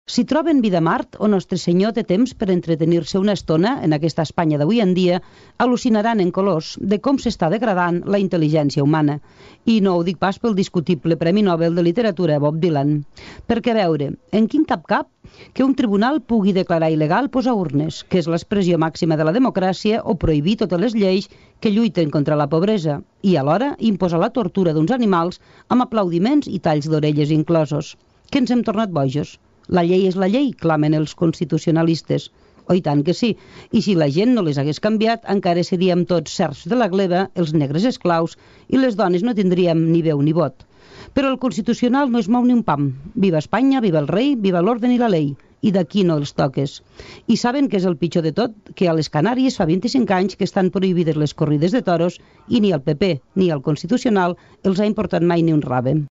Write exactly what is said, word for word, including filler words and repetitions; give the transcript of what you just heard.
Si troben vida a Mart, o Nostre Senyor té temps per entretenir-se una estona en aquesta Espanya d'avui en dia, al·lucinaran en colors de com s'està degradant la intel·ligència humana. I no ho dic pas pel discutible Premi Nobel de Literatura Bob Dylan. Perquè, a veure, en quin cap cap que un tribunal pugui declarar il·legal posar urnes, que és l'expressió màxima de la democràcia, o prohibir totes les lleis que lluiten contra la pobresa, i alhora imposar la tortura d'uns animals amb aplaudiments i talls d'orelles inclosos. Que ens hem tornat bojos? La llei és la llei, clamen els constitucionalistes. Oh, i tant que sí. I si la gent no les hagués canviat, encara seríem tots serfs de la gleba, els negres esclaus, i les dones no tindríem ni veu ni vot. Però el Constitucional no es mou ni un pam. Viva Espanya, viva el rei, viva l'orden i la llei. I d'aquí no els toques. I saben que és el pitjor de tot? Que a les Canàries fa vint-i-cinc anys que estan prohibides les corrides de toros i ni el P P ni el Constitucional els ha importat mai ni un rave.